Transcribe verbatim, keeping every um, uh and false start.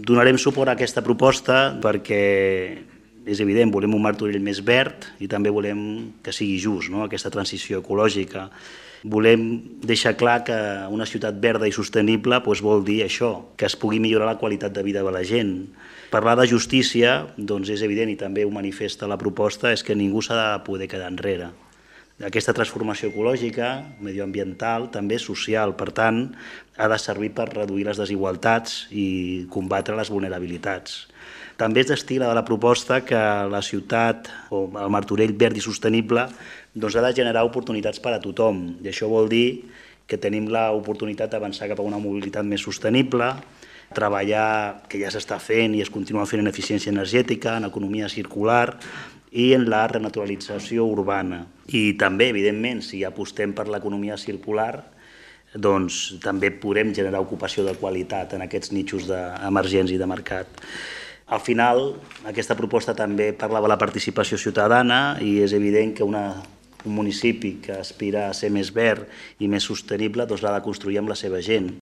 Donarem suport a aquesta proposta perquè és evident, volem un Martorell més verd i també volem que sigui just, no? Aquesta transició ecològica. Volem deixar clar que una ciutat verda i sostenible doncs, vol dir això, que es pugui millorar la qualitat de vida de la gent. Parlar de justícia doncs, és evident i també ho manifesta la proposta, és que ningú s'ha de poder quedar enrere. Aquesta transformació ecològica, medioambiental, també social, per tant, ha de servir per reduir les desigualtats i combatre les vulnerabilitats. També es destila de la proposta que la ciutat, o el Martorell verd i sostenible, doncs ha de generar oportunitats per a tothom. I això vol dir que tenim l'oportunitat d'avançar cap a una mobilitat més sostenible, treballar, que ja s'està fent i es continua fent en eficiència energètica, en economia circular i en la renaturalització urbana. I també, evidentment, si apostem per l'economia circular, doncs també podrem generar ocupació de qualitat en aquests nichos d'emergència i de mercat. Al final, aquesta proposta també parlava de la participació ciutadana i és evident que una, un municipi que aspira a ser més verd i més sostenible doncs l'ha de construir amb la seva gent.